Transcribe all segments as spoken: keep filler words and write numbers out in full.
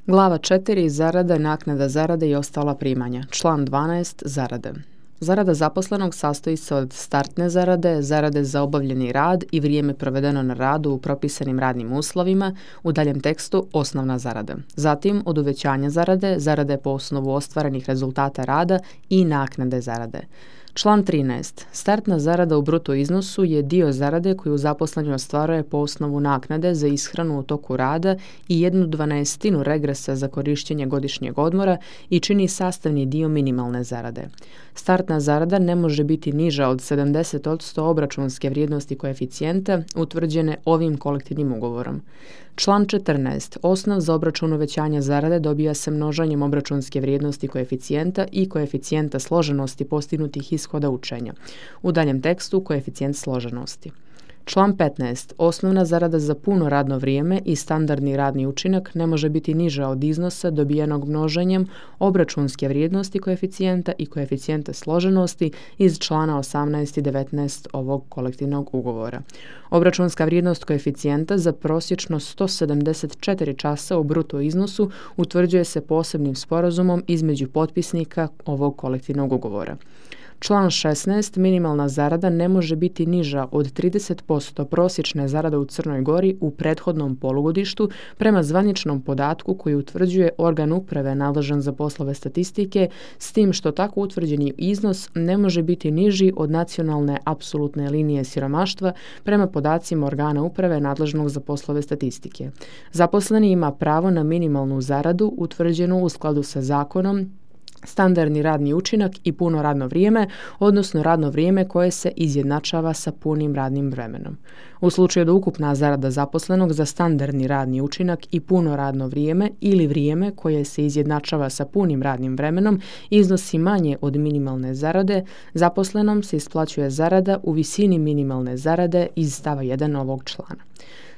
Glava četiri. Zarada, naknada zarade i ostala primanja. Član dvanaest. Zarade. Zarada zaposlenog sastoji se od startne zarade, zarade za obavljeni rad i vrijeme provedeno na radu u propisanim radnim uslovima, u daljem tekstu osnovna zarada. Zatim od uvećanja zarade, zarade po osnovu ostvarenih rezultata rada i naknade zarade. Član trinaest. Startna zarada u bruto iznosu je dio zarade koju zaposleni ostvaruje po osnovu naknade za ishranu u toku rada i jednu dvanaestinu regresa za korištenje godišnjeg odmora i čini sastavni dio minimalne zarade. Startna zarada ne može biti niža od sedamdeset posto obračunske vrijednosti koeficijenta utvrđene ovim kolektivnim ugovorom. Član četrnaest. Osnov za obračun uvećanja zarade dobija se množenjem obračunske vrijednosti koeficijenta i koeficijenta složenosti postignutih ishoda učenja. U daljem tekstu koeficijent složenosti. Član petnaest. Osnovna zarada za puno radno vrijeme i standardni radni učinak ne može biti niža od iznosa dobijenog množenjem obračunske vrijednosti koeficijenta i koeficijenta složenosti iz člana osamnaest i devetnaest ovog kolektivnog ugovora. Obračunska vrijednost koeficijenta za prosječno sto sedamdeset četiri časa u bruto iznosu utvrđuje se posebnim sporazumom između potpisnika ovog kolektivnog ugovora. Član šesnaest. Minimalna zarada ne može biti niža od trideset posto prosječne zarade u Crnoj Gori u prethodnom polugodištu prema zvaničnom podatku koji utvrđuje organ uprave nadležan za poslove statistike, s tim što tako utvrđeni iznos ne može biti niži od nacionalne apsolutne linije siromaštva prema podacima organa uprave nadležnog za poslove statistike. Zaposleni ima pravo na minimalnu zaradu utvrđenu u skladu sa zakonom, standardni radni učinak i puno radno vrijeme, odnosno radno vrijeme koje se izjednačava sa punim radnim vremenom. U slučaju da ukupna zarada zaposlenog za standardni radni učinak i puno radno vrijeme ili vrijeme koje se izjednačava sa punim radnim vremenom iznosi manje od minimalne zarade, zaposlenom se isplaćuje zarada u visini minimalne zarade iz stava jedan ovog člana.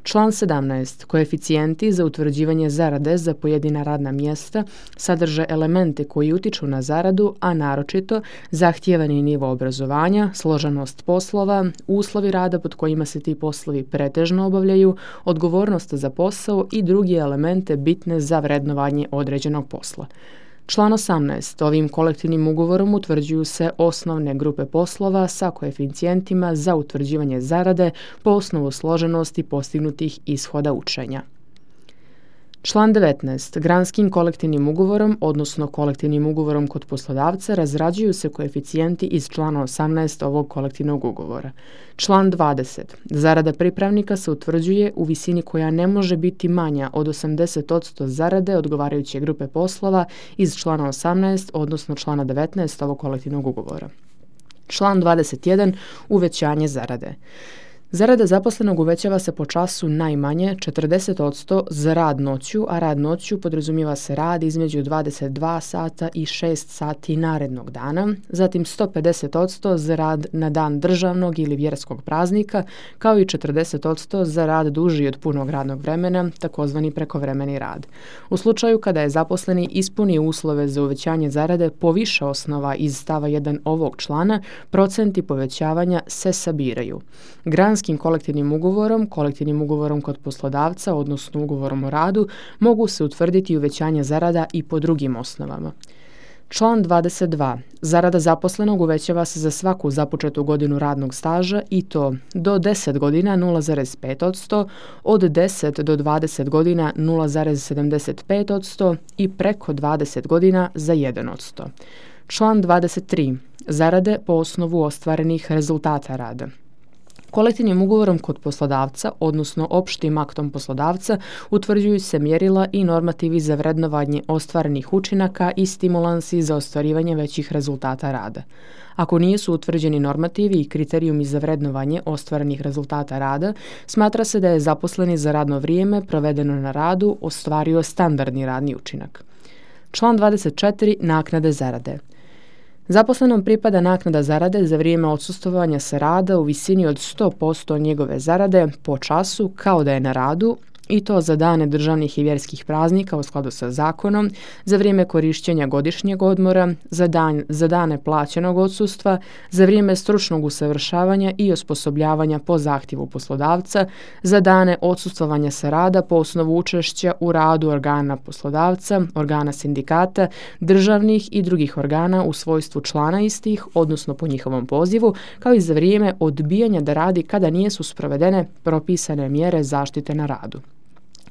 Član sedamnaest. Koeficijenti za utvrđivanje zarade za pojedina radna mjesta sadrže elemente koji utiču na zaradu, a naročito zahtijevani nivo obrazovanja, složenost poslova, uslovi rada pod kojima se ti poslovi pretežno obavljaju, odgovornost za posao i drugi elemente bitne za vrednovanje određenog posla. Član osamnaest. Ovim kolektivnim ugovorom utvrđuju se osnovne grupe poslova sa koeficijentima za utvrđivanje zarade po osnovu složenosti postignutih ishoda učenja. Član devetnaest. Granskim kolektivnim ugovorom, odnosno kolektivnim ugovorom kod poslodavca, razrađuju se koeficijenti iz člana osamnaest ovog kolektivnog ugovora. Član dvadeset. Zarada pripravnika se utvrđuje u visini koja ne može biti manja od osamdeset posto zarade odgovarajuće grupe poslova iz člana osamnaest, odnosno člana devetnaest ovog kolektivnog ugovora. Član dvadeset jedan. Uvećanje zarade. Zarada zaposlenog uvećava se po času najmanje četrdeset posto za rad noću, a rad noću podrazumijeva se rad između dvadeset dva sata i šest sati narednog dana, zatim sto pedeset posto za rad na dan državnog ili vjerskog praznika, kao i četrdeset posto za rad duži od punog radnog vremena, takozvani prekovremeni rad. U slučaju kada je zaposleni ispunio uslove za uvećanje zarade po više osnova iz stava jedan ovog člana, procenti povećavanja se sabiraju. Granskim kolektivnim ugovorom, kolektivnim ugovorom kod poslodavca, odnosno ugovorom o radu, mogu se utvrditi uvećanje zarada i po drugim osnovama. Član dvadeset dva. Zarada zaposlenog uvećava se za svaku započetu godinu radnog staža i to do deset godina nula zarez pet posto, od deset do dvadeset godina nula zarez sedamdeset pet posto i preko dvadeset godina za jedan posto. Član dvadeset tri. Zarade po osnovu ostvarenih rezultata rada. Kolektivnim ugovorom kod poslodavca, odnosno opštim aktom poslodavca, utvrđuju se mjerila i normativi za vrednovanje ostvarenih učinaka i stimulansi za ostvarivanje većih rezultata rada. Ako nisu utvrđeni normativi i kriterijumi za vrednovanje ostvarenih rezultata rada, smatra se da je zaposleni za radno vrijeme provedeno na radu ostvario standardni radni učinak. Član dvadeset četiri. Naknade zarade. Zaposlenom pripada naknada zarade za vrijeme odsustvovanja sa rada u visini od sto posto njegove zarade po času kao da je na radu i to za dane državnih i vjerskih praznika u skladu sa zakonom, za vrijeme korištenja godišnjeg odmora, za, dan, za dane plaćenog odsustva, za vrijeme stručnog usavršavanja i osposobljavanja po zahtjevu poslodavca, za dane odsustvovanja sa rada po osnovu učešća u radu organa poslodavca, organa sindikata, državnih i drugih organa u svojstvu člana istih, odnosno po njihovom pozivu, kao i za vrijeme odbijanja da radi kada nisu sprovedene propisane mjere zaštite na radu.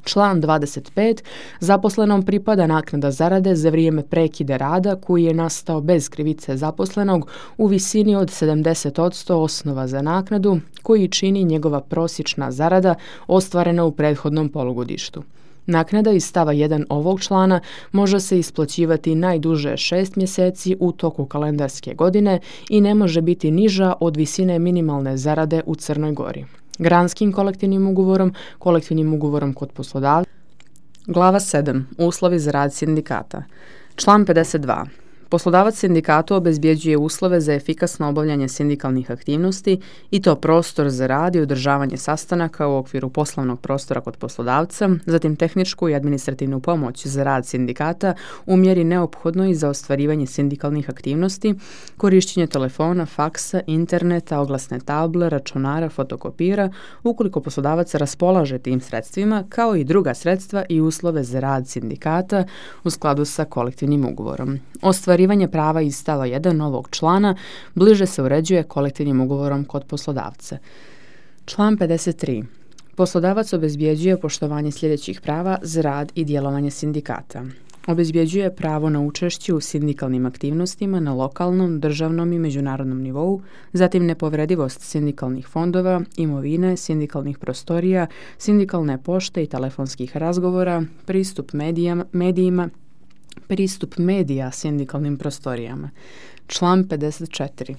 Član dvadeset pet. Zaposlenom pripada naknada zarade za vrijeme prekida rada koji je nastao bez krivice zaposlenog u visini od sedamdeset posto osnova za naknadu koji čini njegova prosječna zarada ostvarena u prethodnom polugodištu. Naknada iz stava jedan ovog člana može se isplaćivati najduže šest mjeseci u toku kalendarske godine i ne može biti niža od visine minimalne zarade u Crnoj Gori. Granskim kolektivnim ugovorom, kolektivnim ugovorom kod poslodavca. Glava sedam. Uslovi za rad sindikata. Član pedeset dva. Poslodavac sindikatu obezbjeđuje uslove za efikasno obavljanje sindikalnih aktivnosti i to prostor za rad i održavanje sastanaka u okviru poslovnog prostora kod poslodavca, zatim tehničku i administrativnu pomoć za rad sindikata u mjeri neophodnoj za ostvarivanje sindikalnih aktivnosti, korištenje telefona, faksa, interneta, oglasne table, računara, fotokopira, ukoliko poslodavac raspolaže tim sredstvima, kao i druga sredstva i uslove za rad sindikata u skladu sa kolektivnim ugovorom. Ostvarivanje prava iz stava jedan ovog člana bliže se uređuje kolektivnim ugovorom kod poslodavca. Član pedeset tri. Poslodavac obezbjeđuje poštovanje sljedećih prava za rad i djelovanje sindikata. Obezbjeđuje pravo na učešće u sindikalnim aktivnostima na lokalnom, državnom i međunarodnom nivou, zatim nepovredivost sindikalnih fondova, imovine, sindikalnih prostorija, sindikalne pošte i telefonskih razgovora, pristup medijama, medijima, pristup medija sindikalnim prostorijama. Član pedeset četiri.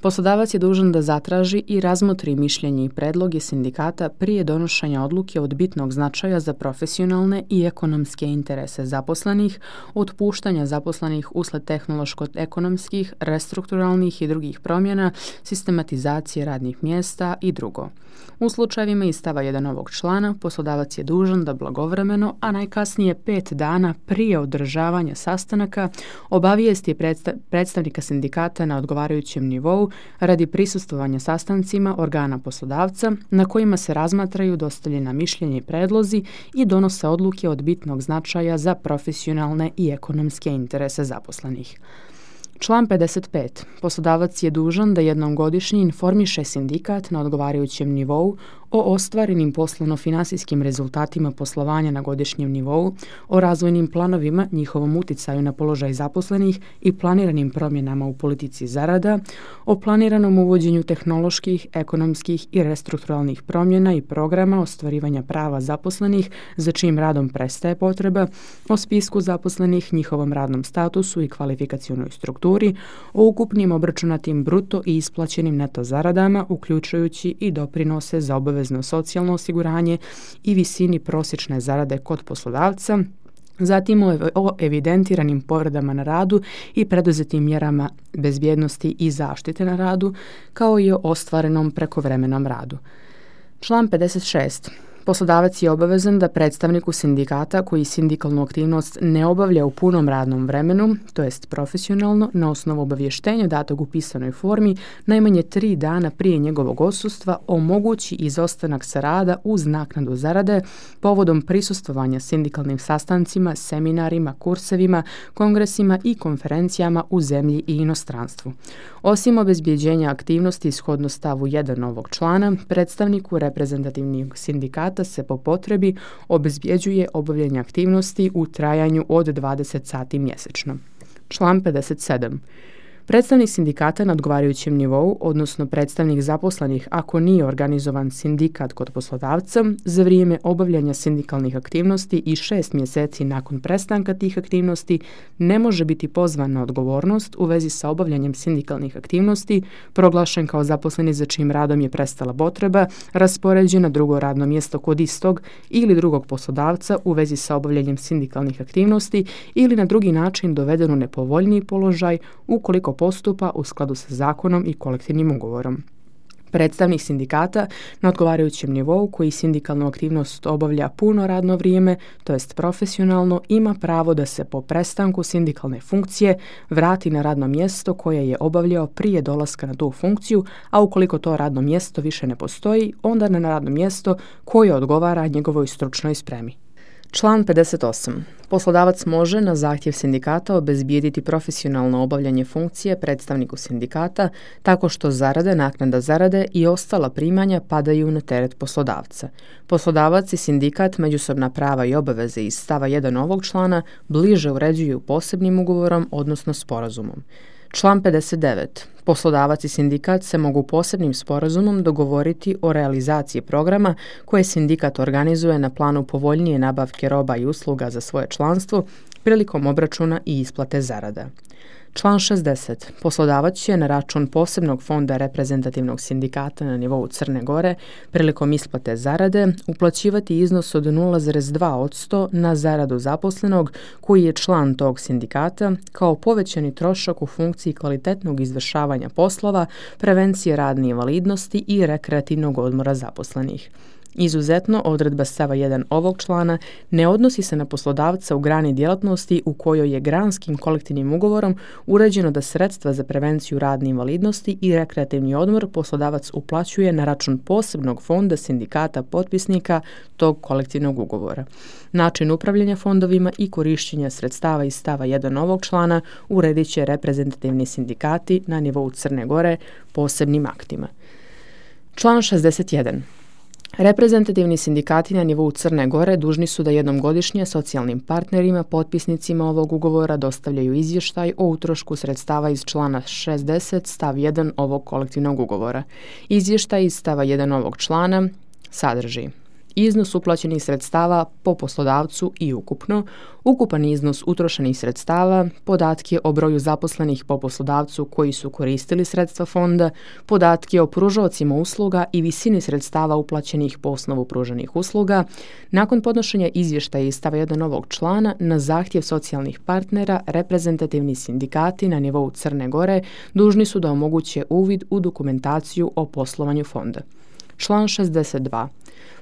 Poslodavac je dužan da zatraži i razmotri mišljenje i predloge sindikata prije donošenja odluke od bitnog značaja za profesionalne i ekonomske interese zaposlenih, otpuštanja zaposlenih usled tehnološko-ekonomskih, restrukturalnih i drugih promjena, sistematizacije radnih mjesta i drugo. U slučajevima iz stava jedan ovog člana, poslodavac je dužan da blagovremeno, a najkasnije pet dana prije održavanja sastanaka, obavijesti predsta- predstavnika sindikata na odgovarajućem nivou radi prisustvovanja sastancima organa poslodavca na kojima se razmatraju dostavljena mišljenja i predlozi i donose odluke od bitnog značaja za profesionalne i ekonomske interese zaposlenih. Član pedeset pet. Poslodavac je dužan da jednom godišnje informiše sindikat na odgovarajućem nivou o ostvarenim poslovno-finansijskim rezultatima poslovanja na godišnjem nivou, o razvojnim planovima, njihovom uticaju na položaj zaposlenih i planiranim promjenama u politici zarada, o planiranom uvođenju tehnoloških, ekonomskih i restrukturalnih promjena i programa ostvarivanja prava zaposlenih za čijim radom prestaje potreba, o spisku zaposlenih, njihovom radnom statusu i kvalifikacionoj strukturi, o ukupnim obračunatim bruto i isplaćenim neto zaradama, uključujući i doprinose za obavezno socijalno osiguranje i visini prosječne zarade kod poslodavca, zatim o evidentiranim povredama na radu i preduzetim mjerama bezbjednosti i zaštite na radu, kao i o ostvarenom prekovremenom radu. Član pedeset šest. Poslodavac je obavezan da predstavniku sindikata koji sindikalnu aktivnost ne obavlja u punom radnom vremenu, to jest profesionalno, na osnovu obavještenja datog u pisanoj formi, najmanje tri dana prije njegovog odsustva omogući izostanak sa rada uz naknadu zarade povodom prisustvovanja sindikalnim sastancima, seminarima, kursevima, kongresima i konferencijama u zemlji i inostranstvu. Osim obezbjeđenja aktivnosti shodno stavu jedan ovog člana, predstavniku reprezentativnog sindikata se po potrebi obezbjeđuje obavljanje aktivnosti u trajanju od dvadeset sati mjesečno. Član pedeset sedam. Predstavnik sindikata na odgovarajućem nivou, odnosno predstavnik zaposlenih ako nije organizovan sindikat kod poslodavca, za vrijeme obavljanja sindikalnih aktivnosti i šest mjeseci nakon prestanka tih aktivnosti ne može biti pozvan na odgovornost u vezi sa obavljanjem sindikalnih aktivnosti, proglašen kao zaposleni za čijim radom je prestala potreba, raspoređen na drugo radno mjesto kod istog ili drugog poslodavca u vezi sa obavljanjem sindikalnih aktivnosti ili na drugi način doveden u nepovoljniji položaj ukoliko postupa u skladu sa zakonom i kolektivnim ugovorom. Predstavnik sindikata na odgovarajućem nivou koji sindikalnu aktivnost obavlja puno radno vrijeme, to jest profesionalno, ima pravo da se po prestanku sindikalne funkcije vrati na radno mjesto koje je obavljao prije dolaska na tu funkciju, a ukoliko to radno mjesto više ne postoji, onda na radno mjesto koje odgovara njegovoj stručnoj spremi. Član pedeset osam. Poslodavac može na zahtjev sindikata obezbijediti profesionalno obavljanje funkcije predstavniku sindikata tako što zarade, naknada zarade i ostala primanja padaju na teret poslodavca. Poslodavac i sindikat međusobna prava i obaveze iz stava jedan ovog člana bliže uređuju posebnim ugovorom, odnosno sporazumom. Član pedeset devet. Poslodavac i sindikat se mogu posebnim sporazumom dogovoriti o realizaciji programa koje sindikat organizuje na planu povoljnije nabavke roba i usluga za svoje članstvo prilikom obračuna i isplate zarada. Član šezdeset. Poslodavac će na račun posebnog fonda reprezentativnog sindikata na nivou Crne Gore prilikom isplate zarade uplaćivati iznos od nula zarez dva posto na zaradu zaposlenog koji je član tog sindikata kao povećani trošak u funkciji kvalitetnog izvršavanja poslova, prevencije radne invalidnosti i rekreativnog odmora zaposlenih. Izuzetno, odredba stava jedan ovog člana ne odnosi se na poslodavca u grani djelatnosti u kojoj je granskim kolektivnim ugovorom uređeno da sredstva za prevenciju radne invalidnosti i rekreativni odmor poslodavac uplaćuje na račun posebnog fonda sindikata potpisnika tog kolektivnog ugovora. Način upravljanja fondovima i korištenja sredstava iz stava jedan ovog člana uredit će reprezentativni sindikati na nivou Crne Gore posebnim aktima. Član šezdeset jedan. Reprezentativni sindikati na nivou Crne Gore dužni su da jednom godišnje socijalnim partnerima, potpisnicima ovog ugovora dostavljaju izvještaj o utrošku sredstava iz člana šezdeset stav jedan ovog kolektivnog ugovora. Izvještaj iz stava jedan ovog člana sadrži iznos uplaćenih sredstava po poslodavcu i ukupno, ukupan iznos utrošenih sredstava, podatke o broju zaposlenih po poslodavcu koji su koristili sredstva fonda, podatke o pružaocima usluga i visini sredstava uplaćenih po osnovu pruženih usluga. Nakon podnošenja izvještaja iz stava jedan ovog člana, na zahtjev socijalnih partnera, reprezentativni sindikati na nivou Crne Gore dužni su da omoguće uvid u dokumentaciju o poslovanju fonda. Član šezdeset dva.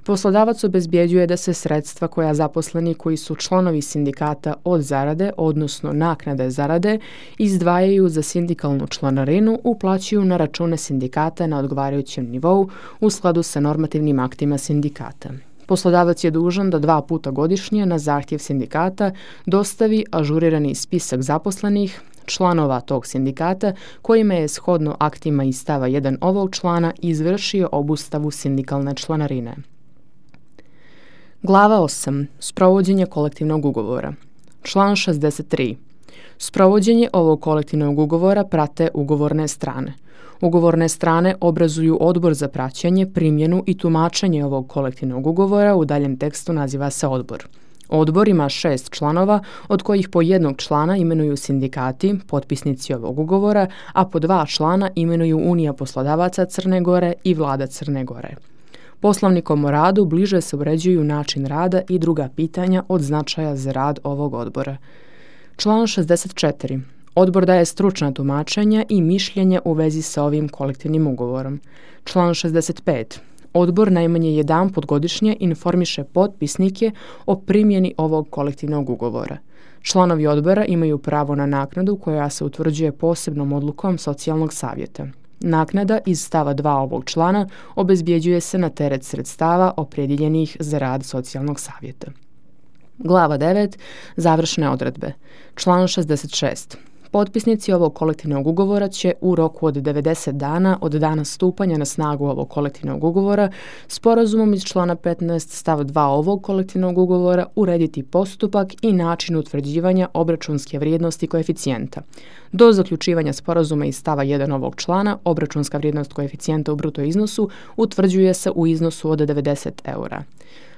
Poslodavac obezbjeđuje da se sredstva koja zaposleni koji su članovi sindikata od zarade, odnosno naknade zarade, izdvajaju za sindikalnu članarinu, uplaćuju na račune sindikata na odgovarajućem nivou u skladu sa normativnim aktima sindikata. Poslodavac je dužan da dva puta godišnje na zahtjev sindikata dostavi ažurirani spisak zaposlenih, članova tog sindikata kojima je shodno aktima iz stava jedan ovog člana izvršio obustavu sindikalne članarine. Glava osam. Sprovođenje kolektivnog ugovora. Član šezdeset tri. Sprovođenje ovog kolektivnog ugovora prate ugovorne strane. Ugovorne strane obrazuju odbor za praćenje, primjenu i tumačenje ovog kolektivnog ugovora, u daljem tekstu naziva se odbor. Odbor ima šest članova, od kojih po jednog člana imenuju sindikati, potpisnici ovog ugovora, a po dva člana imenuju Unija poslodavaca Crne Gore i Vlada Crne Gore. Poslovnikom o radu bliže se uređuju način rada i druga pitanja od značaja za rad ovog odbora. Član šezdeset četiri. Odbor daje stručna tumačenja i mišljenja u vezi sa ovim kolektivnim ugovorom. Član šezdeset pet. Odbor najmanje jedanput godišnje informiše potpisnike o primjeni ovog kolektivnog ugovora. Članovi odbora imaju pravo na naknadu koja se utvrđuje posebnom odlukom socijalnog savjeta. Naknada iz stava dva ovog člana obezbjeđuje se na teret sredstava opredjeljenih za rad socijalnog savjeta. Glava devet. Završne odredbe. Član šezdeset šest. Potpisnici ovog kolektivnog ugovora će u roku od devedeset dana od dana stupanja na snagu ovog kolektivnog ugovora sporazumom iz člana petnaest stav dva ovog kolektivnog ugovora urediti postupak i način utvrđivanja obračunske vrijednosti koeficijenta. Do zaključivanja sporazuma iz stava jedan ovog člana obračunska vrijednost koeficijenta u bruto iznosu utvrđuje se u iznosu od devedeset eura.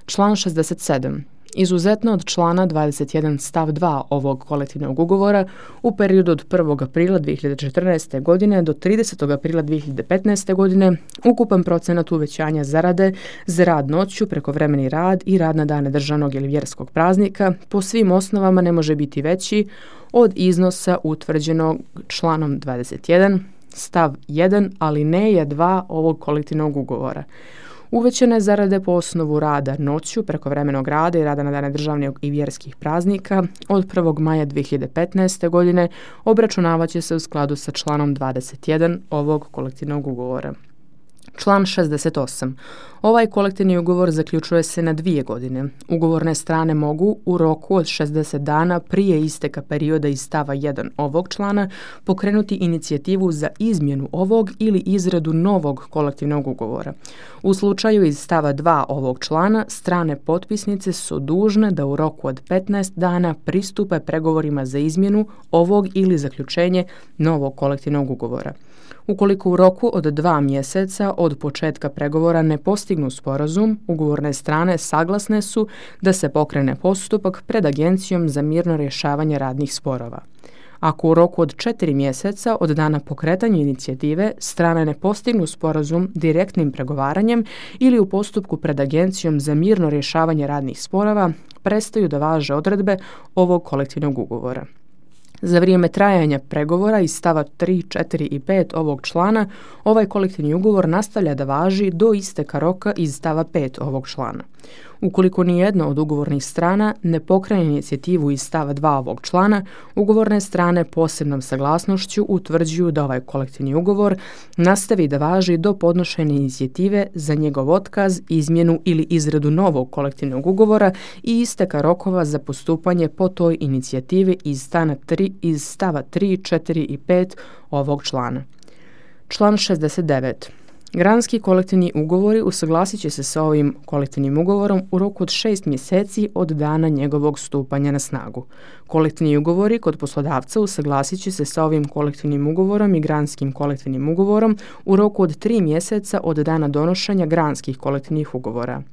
Član šezdeset sedam. Izuzetno od člana dvadeset jedan stav dva ovog kolektivnog ugovora u periodu od prvog aprila dvije hiljade četrnaeste. godine do tridesetog aprila dvije hiljade petnaeste. godine ukupan procenat uvećanja zarade za rad noću, prekovremeni rad i rad na dane državnog ili vjerskog praznika po svim osnovama ne može biti veći od iznosa utvrđenog članom dvadeset jedan stav jedan alineja dva ovog kolektivnog ugovora. Uvećane zarade po osnovu rada noću, prekovremenog rada i rada na dane državnih i vjerskih praznika od prvog maja dvije hiljade petnaeste. godine obračunavat će se u skladu sa članom dvadeset jedan ovog kolektivnog ugovora. Član šezdeset osam. Ovaj kolektivni ugovor zaključuje se na dvije godine. Ugovorne strane mogu u roku od šezdeset dana prije isteka perioda iz stava jedan ovog člana pokrenuti inicijativu za izmjenu ovog ili izradu novog kolektivnog ugovora. U slučaju iz stava dva ovog člana, strane potpisnice su dužne da u roku od petnaest dana pristupe pregovorima za izmjenu ovog ili zaključenje novog kolektivnog ugovora. Ukoliko u roku od dva mjeseca od početka pregovora ne postignu sporazum, ugovorne strane saglasne su da se pokrene postupak pred Agencijom za mirno rješavanje radnih sporova. Ako u roku od četiri mjeseca od dana pokretanja inicijative strane ne postignu sporazum direktnim pregovaranjem ili u postupku pred Agencijom za mirno rješavanje radnih sporova, prestaju da važe odredbe ovog kolektivnog ugovora. Za vrijeme trajanja pregovora iz stava tri, četiri i pet ovog člana, ovaj kolektivni ugovor nastavlja da važi do isteka roka iz stava pet ovog člana. Ukoliko nijedna od ugovornih strana ne pokrene inicijativu iz stava dva ovog člana, ugovorne strane posebnom saglasnošću utvrđuju da ovaj kolektivni ugovor nastavi da važi do podnošenja inicijative za njegov otkaz, izmjenu ili izradu novog kolektivnog ugovora i isteka rokova za postupanje po toj inicijativi iz stava tri, iz stava tri, četiri i pet ovog člana. Član šezdeset devet. Granski kolektivni ugovori usuglasit će se sa ovim kolektivnim ugovorom u roku od šest mjeseci od dana njegovog stupanja na snagu. Kolektivni ugovori kod poslodavca usuglasit će se sa ovim kolektivnim ugovorom i granskim kolektivnim ugovorom u roku od tri mjeseca od dana donošenja granskih kolektivnih ugovora.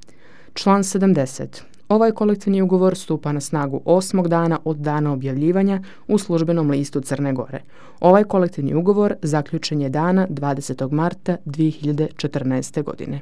Član sedamdeset. Ovaj kolektivni ugovor stupa na snagu osmog dana od dana objavljivanja u službenom listu Crne Gore. Ovaj kolektivni ugovor zaključen je dana dvadesetog marta dvije hiljade četrnaeste. godine.